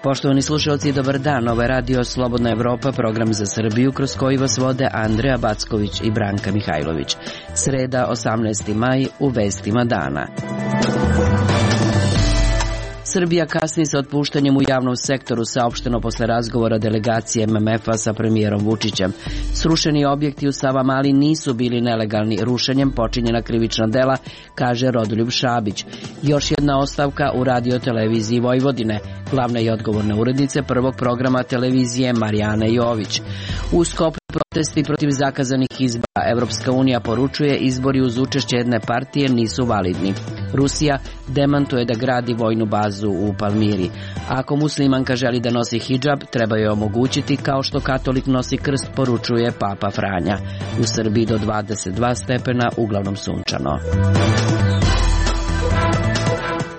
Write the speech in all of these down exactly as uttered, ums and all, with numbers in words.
Poštovani slušalci, dobar dan. Ovo je radio Slobodna Evropa, program za Srbiju kroz koji vas vode Andreja Backović i Branka Mihajlović. Sreda, osamnaesti maj, u vestima dana. Srbija kasni sa otpuštanjem u javnom sektoru, saopšteno posle razgovora delegacije M M F-a sa premijerom Vučićem. Srušeni objekti u Savamali nisu bili nelegalni. Rušenjem počinjena krivična dela, kaže Rodoljub Šabić. Još jedna ostavka u radio televiziji Vojvodine. Glavna i odgovorna urednice prvog programa televizije Marijana Jović. U Skoplju protesti protiv zakazanih izbora. Evropska unija poručuje izbori uz učešće jedne partije nisu validni. Rusija demantuje da gradi vojnu bazu u Palmiri. Ako muslimanka želi da nosi hidžab, treba joj omogućiti kao što katolik nosi krst, poručuje Papa Franja. U Srbiji do dvadeset dva stepena, uglavnom sunčano.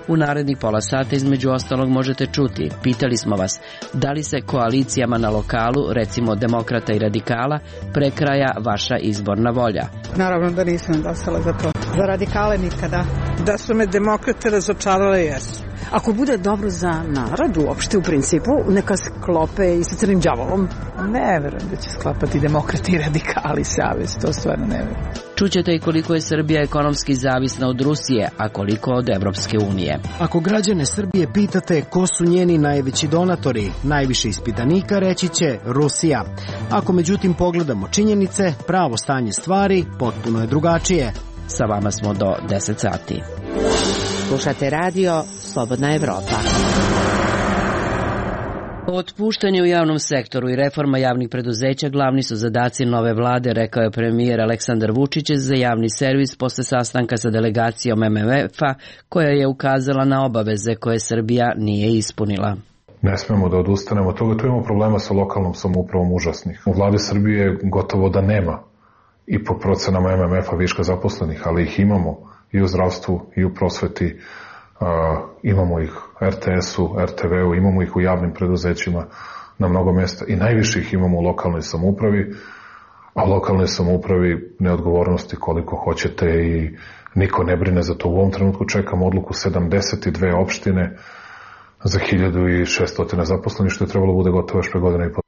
U narednih pola sata između ostalog možete čuti. Pitali smo vas da li se koalicijama na lokalu, recimo demokrata i radikala, prekraja vaša izborna volja. Naravno da nisam glasala za to. Za radikale nikada. Da su me demokrate razočarale, jesu. Ako bude dobro za narod uopšte u principu, neka sklope i sa crnim đavolom. Ne verujem da će sklapati demokrati i radikali savez, to stvarno ne verujem. Čućete i koliko je Srbija ekonomski zavisna od Rusije, a koliko od Evropske unije. Ako građane Srbije pitate ko su njeni najveći donatori, najviše ispitanika reći će Rusija. Ako međutim pogledamo činjenice, pravo stanje stvari potpuno je drugačije. Sa vama smo do deset sati. Slušate radio Slobodna Evropa. Otpuštanje u javnom sektoru i reforma javnih preduzeća glavni su zadaci nove vlade, rekao je premijer Aleksandar Vučić za javni servis posle sastanka sa delegacijom M M F-a koja je ukazala na obaveze koje Srbija nije ispunila. Ne smemo da odustanemo od toga, tu imamo problema sa lokalnom samoupravom užasnih. U vladi Srbije gotovo da nema i po procenama M M F-a viška zaposlenih, ali ih imamo i u zdravstvu i u prosveti. Uh, imamo ih R T S-u, R T V-u, imamo ih u javnim preduzećima na mnogo mjesta i najviše ih imamo u lokalnoj samoupravi, a u lokalnoj samoupravi neodgovornosti koliko hoćete i niko ne brine za to. U ovom trenutku čekamo odluku sedamdeset dve opštine za hiljadu šessto zaposlenih, što je trebalo bude gotovo još pre godine i po.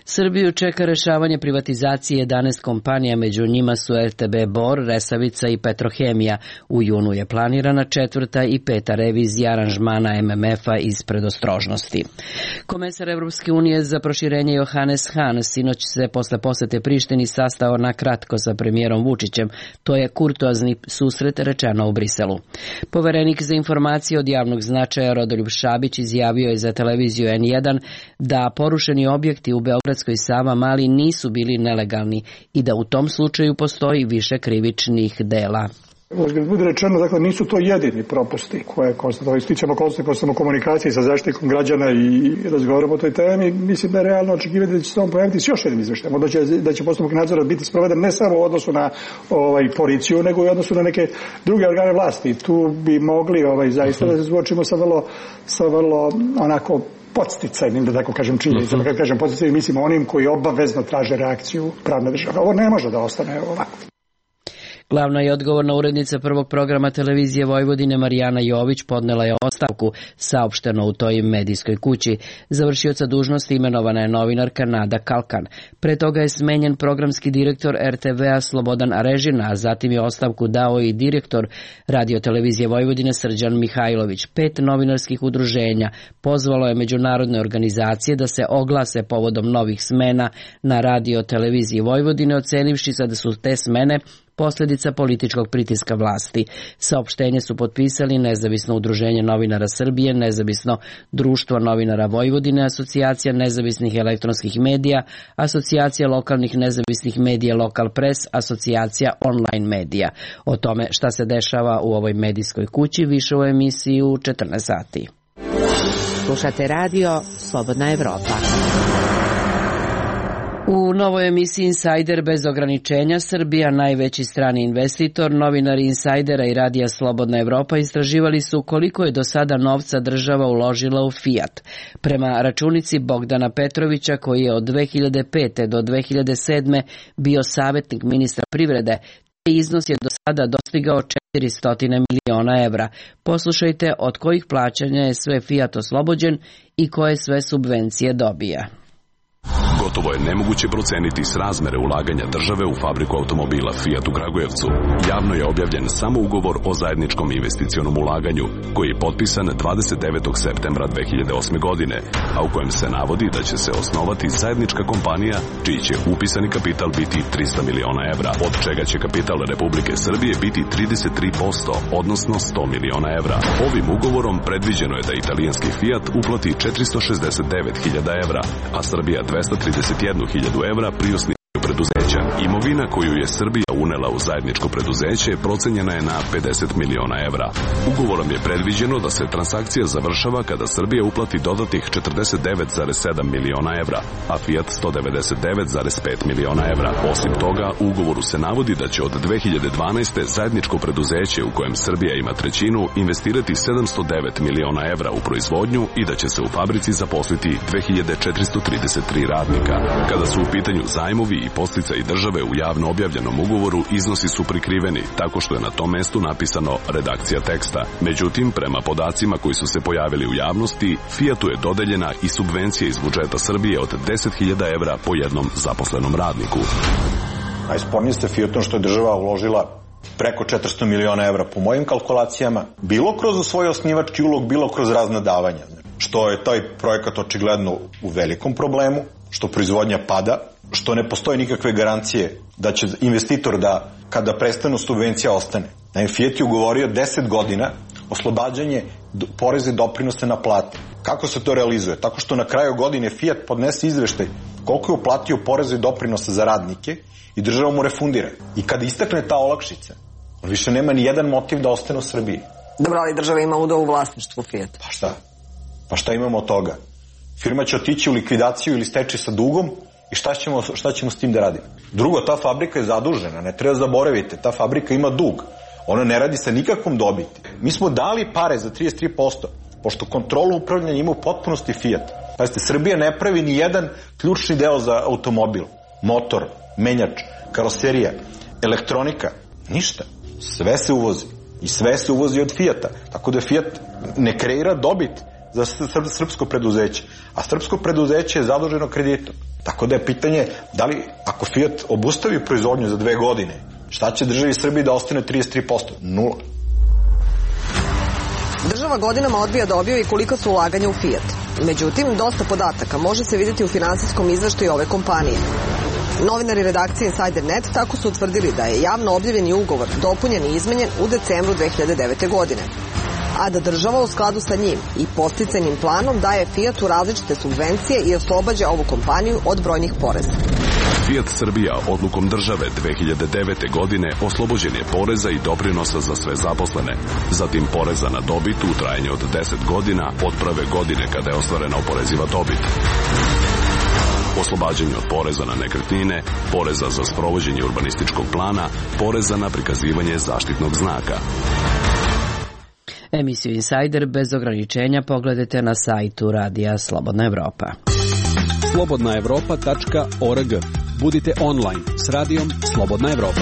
Srbiju čeka rešavanje privatizacije jedanaest kompanija, među njima su R T B Bor, Resavica i Petrohemija. U junu je planirana četvrta i peta revizija aranžmana M M F-a iz predostrožnosti. Komesar Evropske unije za proširenje Johannes Hahn sinoć se posle posete Prištini sastao na kratko sa premijerom Vučićem. To je kurtoazni susret, rečeno u Briselu. Poverenik za informacije od javnog značaja Rodoljub Šabić izjavio je za televiziju N jedan da porušeni objekti u Beogradskoj Savamali nisu bili nelegalni i da u tom slučaju postoji više krivičnih dela. Uzgled bude rečeno, dakle, nisu to jedini propusti koje konstatovali. Stičemo konstatovali komunikaciji sa zaštitnikom građana i razgovaramo o toj temi. Mislim da je realno očekivati da će se on pojaviti s još jednim izveštajem. Da će, da će postupak nadzora biti sproveden ne samo u odnosu na ovaj, policiju, nego i u odnosu na neke druge organe vlasti. Tu bi mogli ovaj, zaista da se suočimo sa vrlo, sa vrlo onako podsticajnim, da tako kažem, činjenicama. Kad kažem podsticajnim, mislim onim koji obavezno traže reakciju pravne države. Ovo ne može da ostane ovako. Glavna i odgovorna urednica prvog programa televizije Vojvodine Marijana Jović podnela je ostavku, saopšteno u toj medijskoj kući. Završioca dužnosti imenovana je novinarka Nada Kalkan. Pre toga je smenjen programski direktor R T V-a Slobodan Arežina, a zatim je ostavku dao i direktor radiotelevizije Vojvodine Srđan Mihajlović. Pet novinarskih udruženja pozvalo je međunarodne organizacije da se oglase povodom novih smena na radioteleviziji Vojvodine, ocenivši da su te smene posljedica političkog pritiska vlasti. Saopštenje su potpisali Nezavisno udruženje novinara Srbije, Nezavisno društvo novinara Vojvodine, Asocijacija nezavisnih elektronskih medija, Asocijacija lokalnih nezavisnih medija Lokal Pres, Asocijacija online medija. O tome šta se dešava u ovoj medijskoj kući više u emisiji u četrnaest sati. Slušate radio Slobodna Evropa. U novoj emisiji Insider bez ograničenja Srbija, najveći strani investitor, novinari Insajdera i radija Slobodna Evropa istraživali su koliko je do sada novca država uložila u Fiat. Prema računici Bogdana Petrovića, koji je od dve hiljade pete do dve hiljade sedme bio savjetnik ministra privrede, taj iznos je do sada dostigao četiristo miliona evra. Poslušajte od kojih plaćanja je sve Fiat oslobođen i koje sve subvencije dobija. Gotovo je nemoguće proceniti srazmere ulaganja države u fabriku automobila Fiat u Kragujevcu. Javno je objavljen samo ugovor o zajedničkom investicionom ulaganju, koji je potpisan dvadeset devetog septembra dve hiljade osme. godine, a u kojem se navodi da će se osnovati zajednička kompanija čiji će upisani kapital biti trista miliona evra, od čega će kapital Republike Srbije biti trideset tri posto, odnosno sto miliona evra. Ovim ugovorom predviđeno je da italijanski Fiat uplati četiristo šezdeset devet hiljada evra, a Srbija dvesta trideset jednu hiljadu evra pri osnivanju preduzeća. Imovina koju je Srbija unela u zajedničko preduzeće procenjena je na pedeset miliona evra. Ugovorom je predviđeno da se transakcija završava kada Srbija uplati dodatnih četrdeset devet zarez sedam miliona evra, a Fiat sto devedeset devet zarez pet miliona evra. Osim toga, u ugovoru se navodi da će od dve hiljade dvanaeste. zajedničko preduzeće u kojem Srbija ima trećinu investirati sedamsto devet miliona evra u proizvodnju i da će se u fabrici zaposliti dve hiljade četiristo trideset tri radnika. Kada su u pitanju zajmovi i podsticaji države u javno objavljenom ugovoru, iznosi su prikriveni, tako što je na tom mestu napisano redakcija teksta. Međutim, prema podacima koji su se pojavili u javnosti, Fiatu je dodeljena i subvencija iz budžeta Srbije od deset hiljada evra po jednom zaposlenom radniku. Najspornije ste Fiatom što je država uložila preko četiristo miliona evra po mojim kalkulacijama, bilo kroz svoj osnivački ulog, bilo kroz razna davanja. Što je taj projekat očigledno u velikom problemu, što proizvodnja pada, što ne postoje nikakve garancije da će investitor da kada prestanu subvencija ostane. Naime, Fiat je ugovorio deset godina oslobađanje poreza i doprinose na plate. Kako se to realizuje? Tako što na kraju godine Fiat podnese izveštaj koliko je uplatio poreza i doprinosa za radnike i država mu refundira. I kada istakne ta olakšica, on više nema ni jedan motiv da ostane u Srbiji. Dobro, ali država ima udeo u vlasništvu Fiat. Pa šta? Pa šta imamo od toga? Firma će otići u likvidaciju ili stečaj sa dugom i šta ćemo, šta ćemo s tim da radimo? Drugo, ta fabrika je zadužena, ne treba zaboraviti, ta fabrika ima dug. Ona ne radi sa nikakvom dobiti. Mi smo dali pare za trideset tri posto, pošto kontrolu upravljanja ima u potpunosti Fiat. Pazite, Srbija ne pravi ni jedan ključni deo za automobil. Motor, menjač, karoserija, elektronika, ništa. Sve se uvozi. I sve se uvozi od Fiata. Tako da Fiat ne kreira dobit za srpsko preduzeće. A srpsko preduzeće je zaduženo kreditom. Tako da je pitanje da li ako Fiat obustavi proizvodnju za dve godine, šta će državi Srbiji da ostane trideset tri posto? Nula. Država godinama odbija da objavi koliko su ulaganja u Fiat. Međutim, dosta podataka može se vidjeti u finansijskom izveštaju ove kompanije. Novinari redakcije Insider net tako su utvrdili da je javno objavljeni ugovor dopunjen i izmenjen u decembru dve hiljade devete. godine. A da država u skladu sa njim i podsticajnim planom daje Fiatu različite subvencije i oslobađa ovu kompaniju od brojnih poreza. Fiat Srbija odlukom države dve hiljade devete. godine oslobođen je poreza i doprinosa za sve zaposlene, zatim poreza na dobit u trajanju od deset godina od prve godine kada je ostvarena oporeziva dobit. Oslobađanje od poreza na nekretnine, poreza za sprovođenje urbanističkog plana, poreza na prikazivanje zaštitnog znaka. Emisiju Insider bez ograničenja pogledajte na sajtu Radija Slobodna Evropa. slobodna evropa tačka org. Budite online s radijom Slobodna Evropa.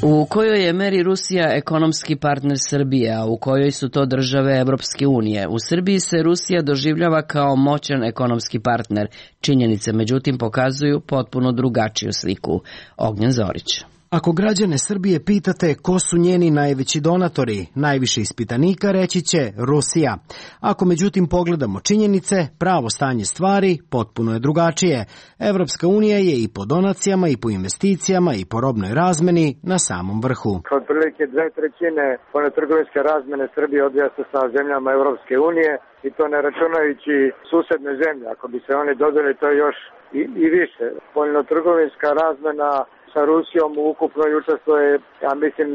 U kojoj je meri Rusija ekonomski partner Srbije, a u kojoj su to države Evropske unije? U Srbiji se Rusija doživljava kao moćan ekonomski partner. Činjenice, međutim, pokazuju potpuno drugačiju sliku. Ognjen Zorić. Ako građane Srbije pitate ko su njeni najveći donatori, najviše ispitanika reći će Rusija. Ako međutim pogledamo činjenice, pravo stanje stvari potpuno je drugačije. Evropska unija je i po donacijama i po investicijama i po robnoj razmeni na samom vrhu. Otprilike dve trećine spoljnotrgovinske razmene Srbije odvija se sa zemljama Evropske unije i to ne računajući susedne zemlje. Ako bi se oni dodali, to je još i, i više. Spoljnotrgovinska razmena sa Rusijom ukupno učestvuje, ja mislim,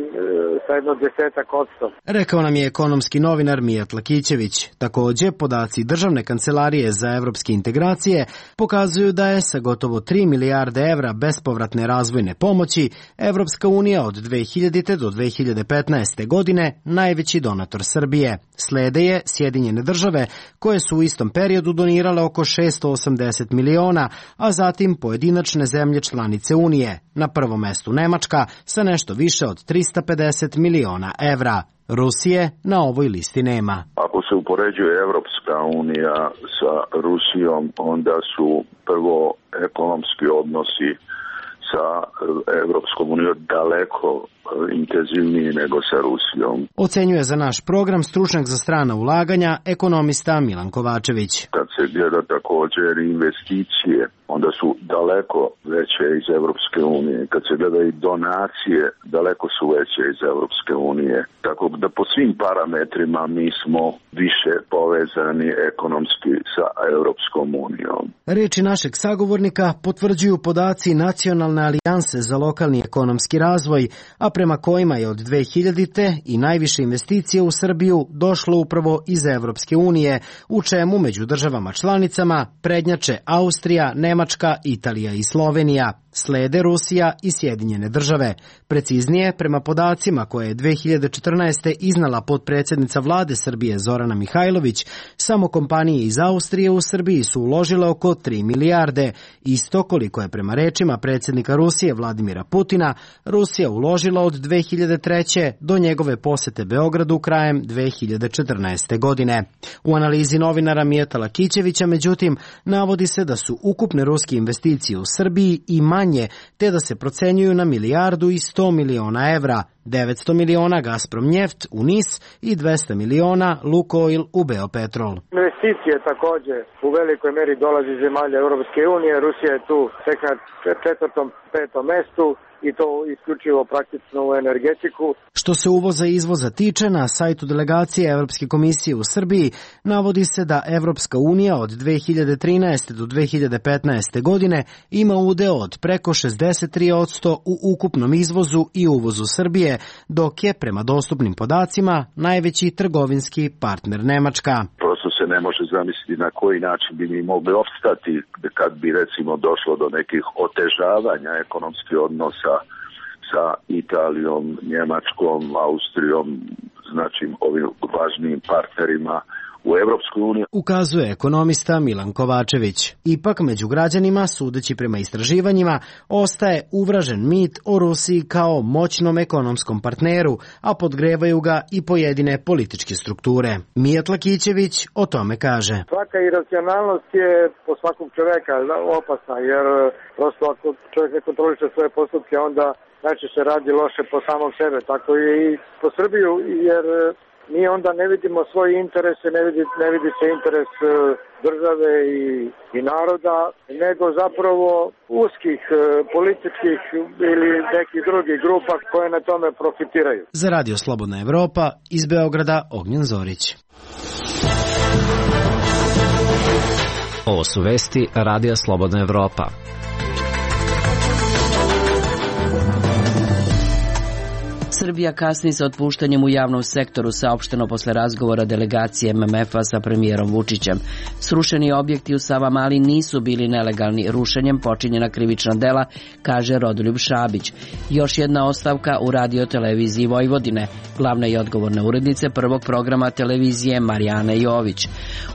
sa jedno desetak odsto. Rekao nam je ekonomski novinar Mijat Lakićević. Takođe, podaci Državne kancelarije za evropske integracije pokazuju da je sa gotovo tri milijarde evra bespovratne razvojne pomoći Evropska unija od dve hiljadite do dve hiljade petnaeste. godine najveći donator Srbije. Slede je Sjedinjene države, koje su u istom periodu donirale oko šesto osamdeset miliona, a zatim pojedinačne zemlje članice Unije. Na prvom mestu Nemačka sa nešto više od trista pedeset miliona evra. Rusije na ovoj listi nema. Ako se upoređuje Evropska unija sa Rusijom, onda su prvo ekonomski odnosi sa Evropskom unijom daleko intenzivniji nego sa Rusijom. Ocenjuje za naš program stručnjak za strana ulaganja, ekonomista Milan Kovačević. Kad se gleda također investicije, onda su daleko veće iz Evropske unije. Kad se gleda i donacije, daleko su veće iz Evropske unije. Tako da po svim parametrima mi smo više povezani ekonomski sa Evropskom unijom. Reči našeg sagovornika potvrđuju podaci Nacionalne alijanse za lokalni ekonomski razvoj, a prema kojima je od dve hiljadite. i najviše investicije u Srbiju došlo upravo iz Evropske unije, u čemu među državama članicama prednjače Austrija, Nemačka, Italija i Slovenija. Slede Rusija i Sjedinjene države. Preciznije, prema podacima koje je dve hiljade četrnaeste. iznala potpredsjednica vlade Srbije Zorana Mihajlović, samo kompanije iz Austrije u Srbiji su uložile oko tri milijarde. Isto koliko je prema rečima predsjednika Rusije Vladimira Putina Rusija uložila od dve hiljade treće. do njegove posete Beogradu krajem dve hiljade četrnaeste. godine. U analizi novinara Mijata Lakićevića, međutim, navodi se da su ukupne ruske investicije u Srbiji i manje, te da se procenjuju na milijardu i sto miliona evra, devetsto miliona Gazprom Njeft u Nis i dvesta miliona Lukoil u Beopetrol. Investicije također u velikoj meri dolazi iz zemalja Europske unije. Rusija je tu tek na četvrtom, petom mestu i to isključivo praktično u energetiku. Što se uvoza i izvoza tiče, na sajtu delegacije Evropske komisije u Srbiji navodi se da Evropska unija od dve hiljade trinaeste. do dve hiljade petnaeste. godine ima udeo od preko šezdeset tri posto u ukupnom izvozu i uvozu Srbije, dok je prema dostupnim podacima najveći trgovinski partner Nemačka. Prosto se ne može zamisliti na koji način bi mi mogli opstati kad bi recimo došlo do nekih otežavanja ekonomskih odnosa sa Italijom, Njemačkom, Austrijom, znači ovim važnijim partnerima u Evropskoj uniji. Ukazuje ekonomista Milan Kovačević. Ipak među građanima, sudeći prema istraživanjima, ostaje uvražen mit o Rusiji kao moćnom ekonomskom partneru, a podgrevaju ga i pojedine političke strukture. Mijat Lakićević o tome kaže. Svaka iracionalnost je po svakog čoveka opasna, jer prosto ako čovjek ne kontroliše svoje postupke, onda najčešće radi loše po samom sebe. Tako je i po Srbiju, jer mi onda ne vidimo svoje interese, ne vidi, ne vidi se interes države i, i naroda, nego zapravo uskih političkih ili nekih drugih grupa koje na tome profitiraju. Za Radio Slobodna Evropa iz Beograda Ognjen Zorić. Ovo su vesti Radija Slobodna Evropa. Srbija kasni sa otpuštanjem u javnom sektoru, saopšteno posle razgovora delegacije M M F-a sa premijerom Vučićem. Srušeni objekti u Savamali nisu bili nelegalni, rušenjem počinjena krivična dela, kaže Rodoljub Šabić. Još jedna ostavka u radio-televiziji Vojvodine, glavna i odgovorna urednice prvog programa televizije Marijana Jović.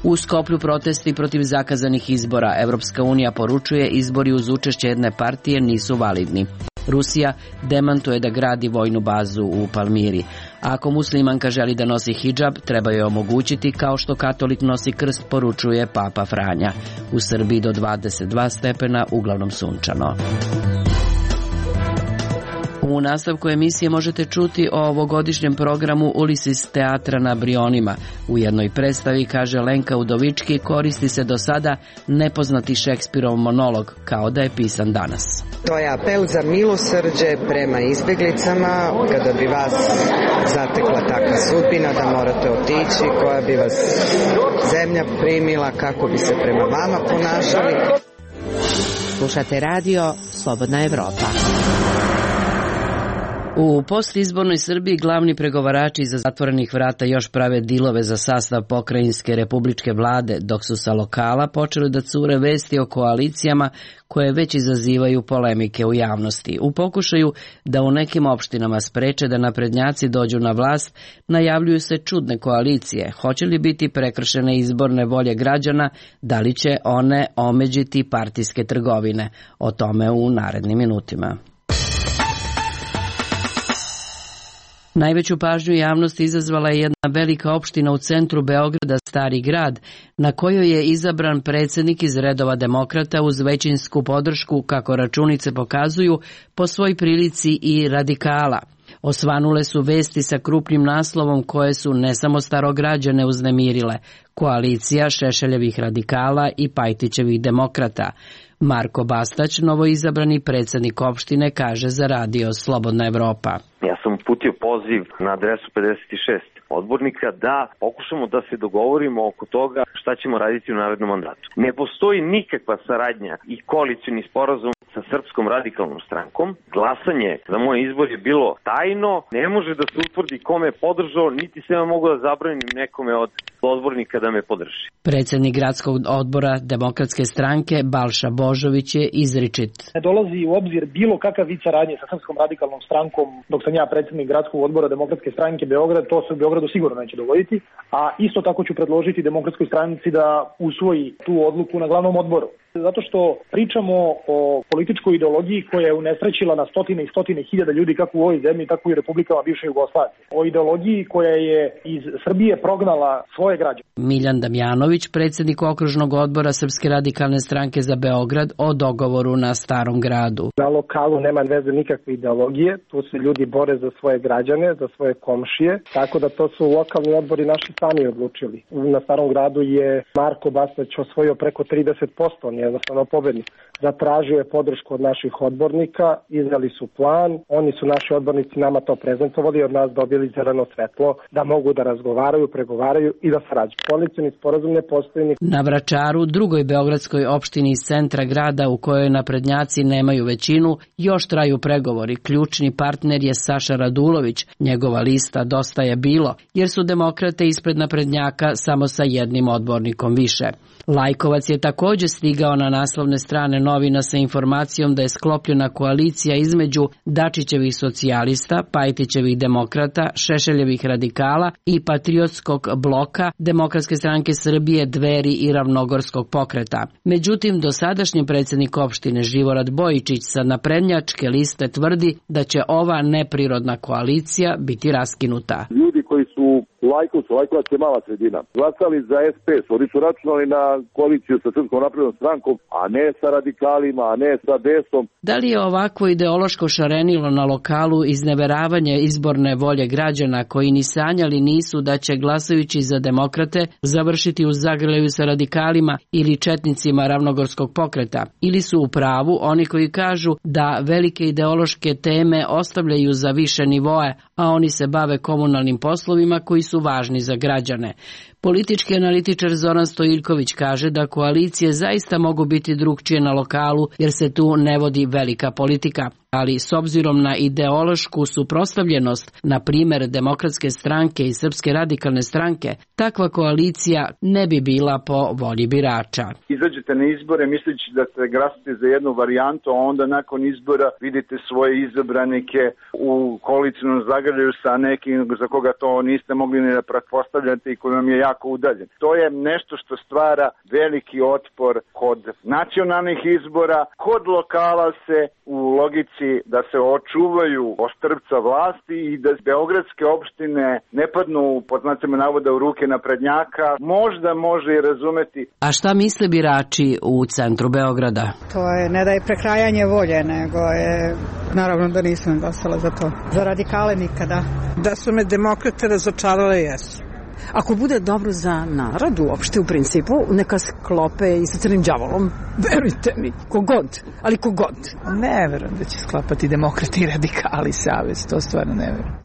U Skoplju protesti protiv zakazanih izbora. Evropska unija poručuje izbori uz učešće jedne partije nisu validni. Rusija demantuje da gradi vojnu bazu u Palmiri. Ako muslimanka želi da nosi hidžab, treba joj omogućiti kao što katolik nosi krst, poručuje Papa Franja. U Srbiji do dvadeset dva stepena, uglavnom sunčano. U nastavku emisije možete čuti o ovogodišnjem programu Ulises teatra na Brionima. U jednoj predstavi, kaže Lenka Udovički, koristi se do sada nepoznati Šekspirov monolog, kao da je pisan danas. To je apel za milosrđe prema izbjeglicama, kada bi vas zatekla takva sudbina da morate otići, koja bi vas zemlja primila, kako bi se prema vama ponašali. Slušate radio Slobodna Evropa. U postizbornoj Srbiji glavni pregovarači iza zatvorenih vrata još prave dilove za sastav pokrajinske republičke vlade, dok su sa lokala počeli da cure vesti o koalicijama koje već izazivaju polemike u javnosti. U pokušaju da u nekim opštinama spreče da naprednjaci dođu na vlast, najavljuju se čudne koalicije. Hoće li biti prekršene izborne volje građana, da li će one omeđiti partijske trgovine? O tome u narednim minutima. Najveću pažnju javnosti izazvala je jedna velika opština u centru Beograda, Stari grad, na kojoj je izabran predsjednik iz redova demokrata uz većinsku podršku, kako računice pokazuju, po svoj prilici i radikala. Osvanule su vesti sa krupnim naslovom koje su ne samo starograđane uznemirile, koalicija Šešeljevih radikala i Pajtićevih demokrata. Marko Bastać, novoizabrani predsjednik opštine, kaže za radio Slobodna Evropa. Ja sam uputio poziv na adresu pedeset šest odbornika da pokušamo da se dogovorimo oko toga šta ćemo raditi u narednom mandatu. Ne postoji nikakva saradnja i koalicioni sporazum sa Srpskom radikalnom strankom. Glasanje za moj izbor je bilo tajno, ne može da se utvrdi kome je podržao, niti se ja mogu da zabranim nekome od odbornika da me podrži. Predsjednik gradskog odbora Demokratske stranke Balša Božović je izričit. Ne dolazi u obzir bilo kakav vid saradnje sa Srpskom radikalnom strankom dok sam ja predsjednik gradskog odbora Demokratske stranke Beograd, to se u Beogradu sigurno neće dogoditi, a isto tako ću predložiti Demokratskoj stranci da usvoji tu odluku na glavnom odboru. Zato što pričamo o političkoj ideologiji koja je unesrećila na stotine i stotine hiljada ljudi kako u ovoj zemlji, tako i u republikama bivše Jugoslavije. O ideologiji koja je iz Srbije prognala svoje građane. Miljan Damjanović, predsjednik okružnog odbora Srpske radikalne stranke za Beograd, o dogovoru na Starom gradu. Na lokalu nema veze nikakve ideologije, tu se ljudi bore za svoje građane, za svoje komšije, tako da to su lokalni odbori naši sami odlučili. Na Starom gradu je Marko Bastać osvojio preko trideset posto, on je jednostavno pobednik. Zatražio je podršku od naših odbornika, izneli su plan, oni su naši odbornici nama to prezentovali i od nas dobili zeleno svetlo da mogu da razgovaraju, pregovaraju i da sarađuju. Koalicioni sporazum ne postoji ni... Na Vračaru, drugoj beogradskoj opštini iz centra grada u kojoj naprednjaci nemaju većinu, još traju pregovori. Ključni partner je Saša Radulović. Njegova lista Dosta je bilo, jer su demokrate ispred naprednjaka samo sa jednim odbornikom više. Lajkovac je također stigao na naslovne strane novina sa informacijom da je sklopljena koalicija između Dačićevih socijalista, Pajtićevih demokrata, Šešeljevih radikala i Patriotskog bloka Demokratske stranke Srbije, Dveri i Ravnogorskog pokreta. Međutim, dosadašnji predsjednik opštine Živorad Bojičić sa naprednjačke liste tvrdi da će ova neprirodna koalicija biti raskinuta. Ljudi koji su u Lajkovcu, Lajkovac je mala sredina, glasali za es pe es, oni su računali na koaliciju sa Srpskom naprednom strankom, a ne sa radikalima, a ne sa desom. Da li je ovako ideološko šarenilo na lokalu izneveravanje izborne volje građana koji ni sanjali nisu da će glasajući za demokrate završiti u zagrljaju sa radikalima ili četnicima Ravnogorskog pokreta? Ili su u pravu oni koji kažu da velike ideološke teme ostavljaju za više nivoe, a oni se bave komunalnim poslovima koji su važni za građane? Politički analitičar Zoran Stojiljković kaže da koalicije zaista mogu biti drugčije na lokalu jer se tu ne vodi velika politika, ali s obzirom na ideološku suprotstavljenost, na primjer Demokratske stranke i Srpske radikalne stranke, takva koalicija ne bi bila po volji birača. Izađete na izbore misleći da se glasate za jednu varijantu, a onda nakon izbora vidite svoje izabranike u koalicijnom zagrljaju sa nekim za koga to niste mogli ni da pretpostavljate i koji vam je jako udaljen. To je nešto što stvara veliki otpor kod nacionalnih izbora, kod lokala se u logici da se očuvaju ostrvca vlasti i da beogradske opštine ne padnu pod znacima navoda u ruke naprednjaka, možda može i razumeti. A šta misle birači u centru Beograda? To je ne da je prekrajanje volje, nego je, naravno da nisam glasala za to. Za radikale nikada. Da su me demokrate razočarale, jesu. Ako bude dobro za narod uopšte u principu, neka sklope i sa crnim đavolom. Verujte mi, kogod, ali kogod. Ne verujem da će sklapati demokrati i radikali savez, to stvarno ne verujem.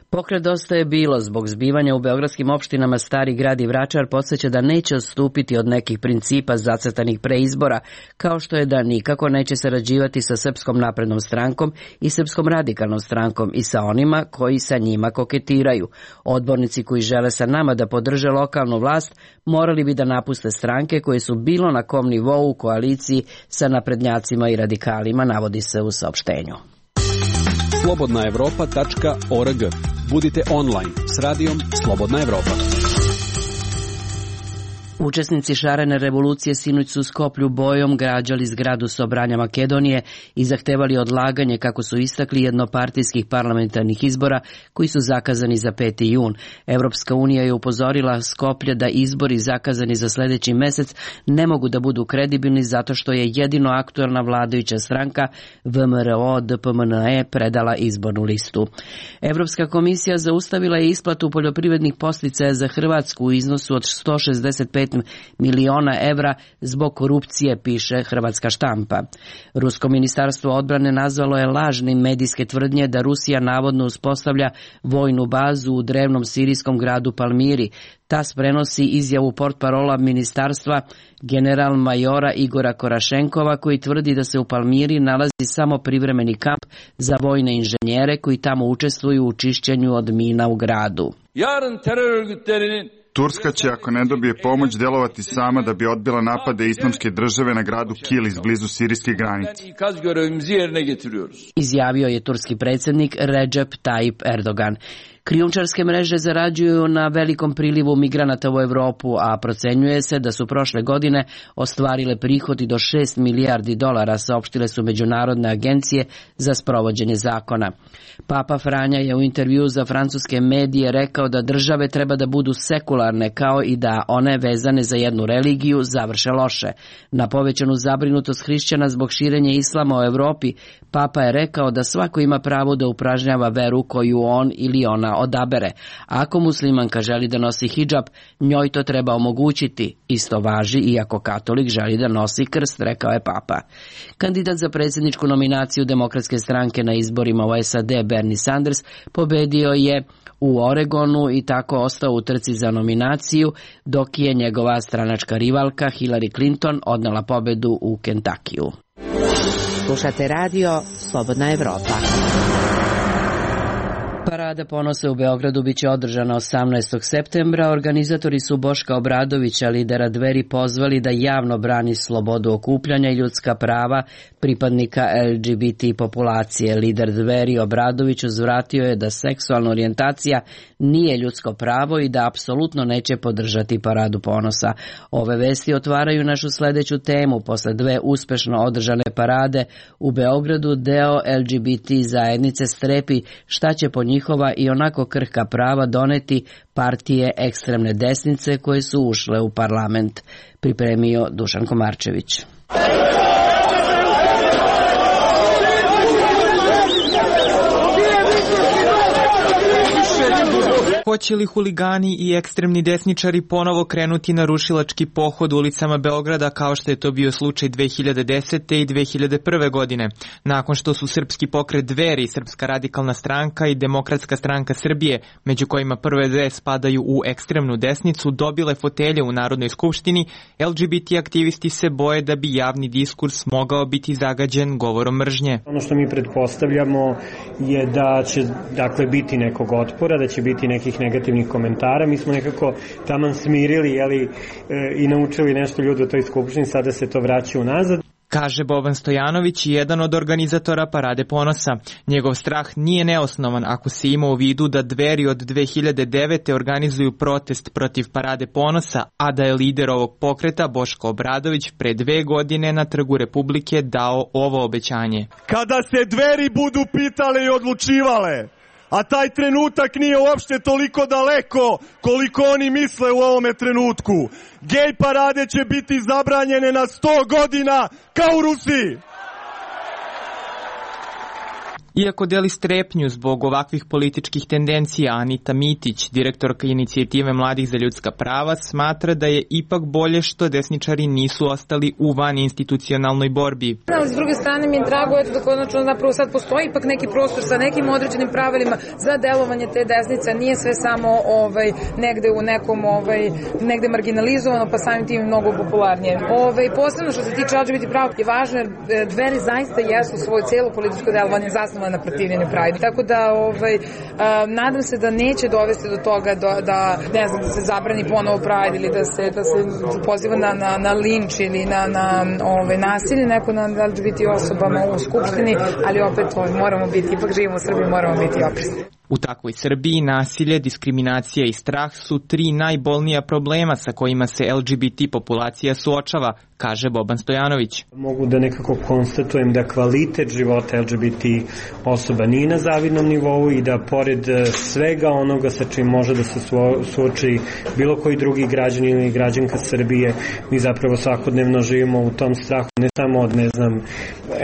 Pokret Dosta je bilo zbog zbivanja u beogradskim opštinama Stari grad i Vračar podsjeća da neće odstupiti od nekih principa zacrtanih pre izbora, kao što je da nikako neće sarađivati sa Srpskom naprednom strankom i Srpskom radikalnom strankom i sa onima koji sa njima koketiraju. Odbornici koji žele sa nama da podrže lokalnu vlast morali bi da napuste stranke koje su bilo na kom nivou u koaliciji sa naprednjacima i radikalima, navodi se u saopštenju. slobodna evropa tačka org. Budite online s radijom Slobodna Evropa. Učesnici šarene revolucije sinoć su u Skoplju bojom građali zgradu Sobranja Makedonije i zahtevali odlaganje, kako su istakli, jednopartijskih parlamentarnih izbora koji su zakazani za peti jun. Evropska unija je upozorila Skoplje da izbori zakazani za sledeći mesec ne mogu da budu kredibilni zato što je jedino aktuelna vladajuća stranka V M R O D P M N E predala izbornu listu. Evropska komisija zaustavila je isplatu poljoprivrednih podsticaja za Hrvatsku u iznosu od sto šezdeset pet miliona evra zbog korupcije, piše hrvatska štampa. Rusko ministarstvo odbrane nazvalo je lažnim medijske tvrdnje da Rusija navodno uspostavlja vojnu bazu u drevnom sirijskom gradu Palmiri. T A S prenosi izjavu portparola ministarstva general majora Igora Korašenkova, koji tvrdi da se u Palmiri nalazi samo privremeni kamp za vojne inženjere koji tamo učestvuju u čišćenju od mina u gradu. Yarın terör örgütlerinin Turska će, ako ne dobije pomoć, delovati sama da bi odbila napade islamske države na gradu Kilis blizu sirijske granice. Izjavio je turski predsjednik Recep Tayyip Erdogan. Krijumčarske mreže zarađuju na velikom prilivu migranata u Evropu, a procenjuje se da su prošle godine ostvarile prihodi do šest milijardi dolara, saopštile su međunarodne agencije za sprovođenje zakona. Papa Franja je u intervju za francuske medije rekao da države treba da budu sekularne, kao i da one vezane za jednu religiju završe loše. Na povećanu zabrinutost hrišćana zbog širenja islama u Evropi, Papa je rekao da svako ima pravo da upražnjava veru koju on ili ona odabere. Ako muslimanka želi da nosi hidžab, njoj to treba omogućiti. Isto važi i ako katolik želi da nosi krst, rekao je Papa. Kandidat za predsjedničku nominaciju Demokratske stranke na izborima u S A D Bernie Sanders pobedio je u Oregonu i tako ostao u trci za nominaciju, dok je njegova stranačka rivalka Hillary Clinton odnela pobedu u Kentakiju. Slušate radio Slobodna Evropa. Parada ponosa u Beogradu biće održana osamnaestog septembra. Organizatori su Boška Obradovića, lidera Dveri, pozvali da javno brani slobodu okupljanja i ljudska prava pripadnika L G B T populacije. Lider Dveri Obradović uzvratio je da seksualna orijentacija nije ljudsko pravo i da apsolutno neće podržati Paradu ponosa. Ove vesti otvaraju našu sledeću temu. Posle dve uspešno održane parade u Beogradu, deo L G B T zajednice strepi šta će po njihova i onako krhka prava doneti partije ekstremne desnice koje su ušle u parlament. Pripremio Dušan Komarčević. Hoće li huligani i ekstremni desničari ponovo krenuti na rušilački pohod ulicama Beograda kao što je to bio slučaj dve hiljade desete i dve hiljade prve godine, nakon što su Srpski pokret Dveri, Srpska radikalna stranka i Demokratska stranka Srbije, među kojima prve dve spadaju u ekstremnu desnicu, dobile fotelje u Narodnoj skupštini, L G B T aktivisti se boje da bi javni diskurs mogao biti zagađen govorom mržnje. Ono što mi pretpostavljamo je da će dakle biti nekog otpora, da će biti nekih negativnih komentara. Mi smo nekako taman smirili, jeli, e, i naučili nešto ljudi u toj skupštini, sada se to vraća unazad. Kaže Boban Stojanović, jedan od organizatora Parade ponosa. Njegov strah nije neosnovan ako se ima u vidu da Dveri od dve hiljade devete organizuju protest protiv Parade ponosa, a da je lider ovog pokreta Boško Obradović pre dve godine na Trgu Republike dao ovo obećanje. Kada se Dveri budu pitale i odlučivale, a taj trenutak nije uopšte toliko daleko koliko oni misle u ovome trenutku. Gej parade će biti zabranjene na sto godina kao u Rusiji. Iako deli strepnju zbog ovakvih političkih tendencija, Anita Mitić, direktorka inicijative Mladih za ljudska prava, smatra da je ipak bolje što desničari nisu ostali u van institucionalnoj borbi. Ali s druge strane mi je drago eto, da konačno napravo sad postoji ipak neki prostor sa nekim određenim pravilima za delovanje te desnice. Nije sve samo ovaj, negde u nekom ovaj, negde marginalizovano, pa samim tim mnogo popularnije. Ovaj, posebno što se tiče L G B T prava je važno jer Dveri zaista jesu svoje cijelo političko delovanje zasnovano na protivljenju Pride. Tako da ovaj, a, nadam se da neće dovesti do toga da, da ne znam, da se zabrani ponovo Pride ili da se, da se poziva na, na, na linč ili na, na ovaj, nasilje neko na L G B T osobama u Skupštini, ali opet ovaj, moramo biti, ipak živimo u Srbiji, moramo biti oprezni. U takvoj Srbiji nasilje, diskriminacija i strah su tri najbolnija problema sa kojima se L G B T populacija suočava, kaže Boban Stojanović. Mogu da nekako konstatujem da kvalitet života L G B T osoba nije na zavidnom nivou i da pored svega onoga sa čim može da se suoči bilo koji drugi građanin ili građanka Srbije, mi zapravo svakodnevno živimo u tom strahu ne samo od, ne znam,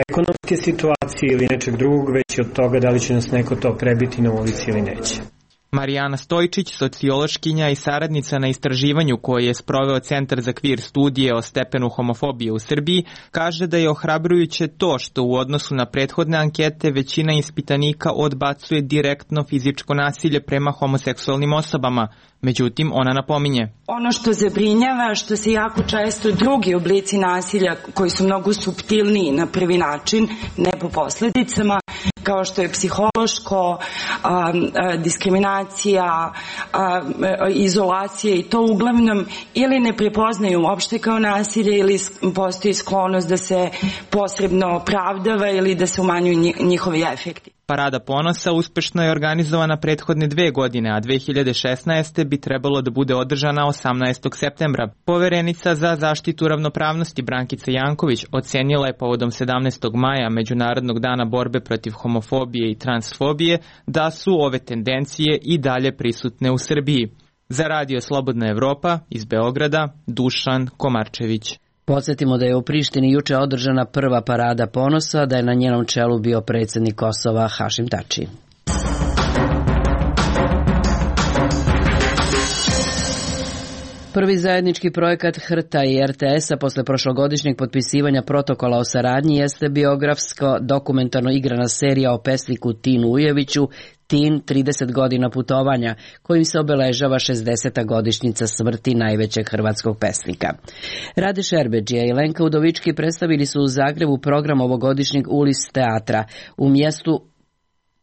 ekonomske situacije ili nečeg drugog, već i od toga da li će nas neko to prebiti na ulici ili neće. Marijana Stojčić, sociološkinja i saradnica na istraživanju koje je sproveo Centar za kvir studije o stepenu homofobije u Srbiji, kaže da je ohrabrujuće to što u odnosu na prethodne ankete većina ispitanika odbacuje direktno fizičko nasilje prema homoseksualnim osobama. Međutim, ona napominje. Ono što zabrinjava, što se jako često drugi oblici nasilja koji su mnogo suptilniji na prvi način, ne po posledicama, kao što je psihološko, a, a, diskriminacija, a, izolacija i to uglavnom ili ne prepoznaju uopšte kao nasilje ili postoji sklonost da se posredno opravdava ili da se umanjuju njihovi efekti. Parada ponosa uspešno je organizovana prethodne dve godine, a dve hiljade šesnaeste. bi trebalo da bude održana osamnaestog septembra. Poverenica za zaštitu ravnopravnosti Brankica Janković ocenila je povodom sedamnaestog maja Međunarodnog dana borbe protiv homofobije i transfobije da su ove tendencije i dalje prisutne u Srbiji. Za Radio Slobodna Evropa iz Beograda, Dušan Komarčević. Podsjetimo da je u Prištini juče održana prva parada ponosa, da je na njenom čelu bio predsjednik Kosova Hašim Tači. Prvi zajednički projekat H R T-a i R T S-a posle prošlogodišnjeg potpisivanja protokola o saradnji jeste biografsko dokumentarno igrana serija o pesniku Tinu Ujeviću, Tin, trideset godina putovanja, kojim se obeležava šezdeseta godišnjica smrti najvećeg hrvatskog pesnika. Rade Šerbedžija i Lenka Udovički predstavili su u Zagrebu program ovogodišnjeg Ulis teatra. U mjestu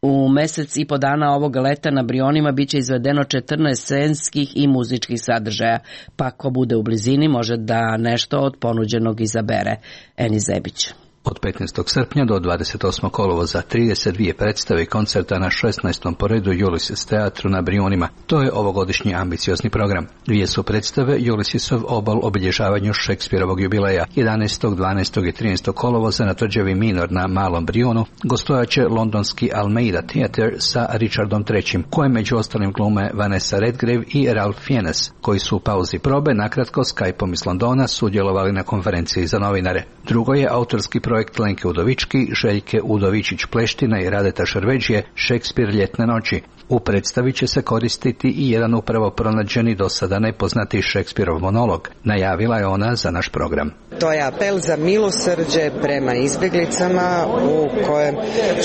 U mesec i po dana ovog leta na Brionima biće izvedeno četrnaest scenskih i muzičkih sadržaja, pa ko bude u blizini može da nešto od ponuđenog izabere. Eni Zebić. Od petnaestog srpnja do dvadeset osmog kolovoza trideset dvije predstave i koncerta na šesnaestom po redu Ulysses teatru na Brionima. To je ovogodišnji ambiciozni program. Dvije su predstave Ulyssesov obol obilježavanju Šekspirovog jubileja. jedanaestog, dvanaestog i trinaestog kolovoza na tvrđavi Minor na Malom Brionu gostojaće londonski Almeida Theatre sa Richardom trećim, kojem među ostalim glume Vanessa Redgrave i Ralph Fiennes, koji su u pauzi probe nakratko Skype-om iz Londona sudjelovali na konferenciji za novinare. Drugo je autorski projekt Lenke Udovički, Željke Udovičić-Pleština i Radeta Šerveđije Šekspir ljetne noći. U predstavi će se koristiti i jedan upravo pronađeni do sada nepoznati Šekspirov monolog. Najavila je ona za naš program. To je apel za milosrđe prema izbjeglicama u kojem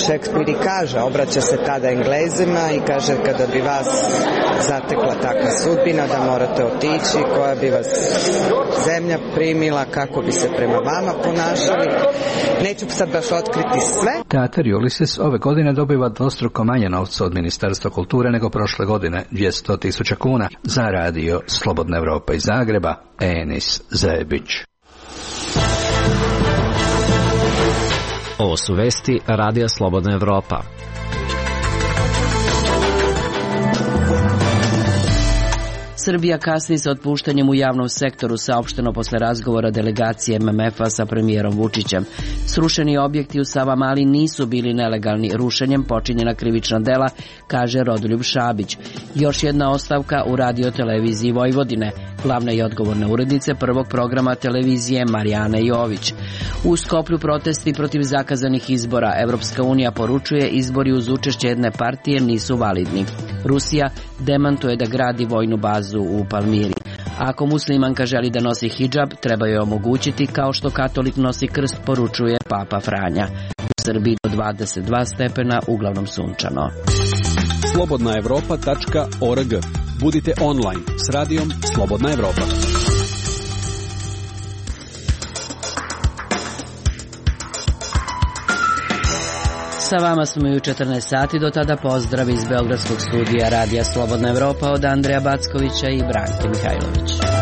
Šekspir i kaže, obraća se tada Englezima i kaže kada bi vas zatekla takva sudbina da morate otići, koja bi vas zemlja primila, kako bi se prema vama ponašali. Neću sad baš otkriti sve. Teatar Ulysses ove godine dobiva dvostruko manje novca od Ministarstva kulture nego prošle godine, dvjesto tisuća kuna. Za Radio Slobodna Evropa iz Zagreba, Enis Zebić. Ovo su vesti Radija Slobodna Evropa. Srbija kasni sa otpuštanjem u javnom sektoru, saopšteno posle razgovora delegacije M M F-a sa premijerom Vučićem. Srušeni objekti u Savamali nisu bili nelegalni. Rušenjem počinjena krivična dela, kaže Rodoljub Šabić. Još jedna ostavka u Radio televiziji Vojvodine, glavna i odgovorna urednica prvog programa televizije Marijana Jović. U Skoplju protesti protiv zakazanih izbora. Evropska unija poručuje izbori uz učešće jedne partije nisu validni. Rusija demantuje da gradi vojnu bazu u Palmiri. Ako muslimanka želi da nosi hidžab, treba joj omogućiti kao što katolik nosi krst, poručuje Papa Franja. U Srbiji do dvadeset dva stepena, uglavnom sunčano. slobodna evropa tačka org. Budite online s radijom Slobodna Evropa. Sa vama smo i u četrnaest sati, do tada pozdrav iz Beogradskog studija Radija Slobodna Evropa od Andreja Backovića i Branke Mihajlović.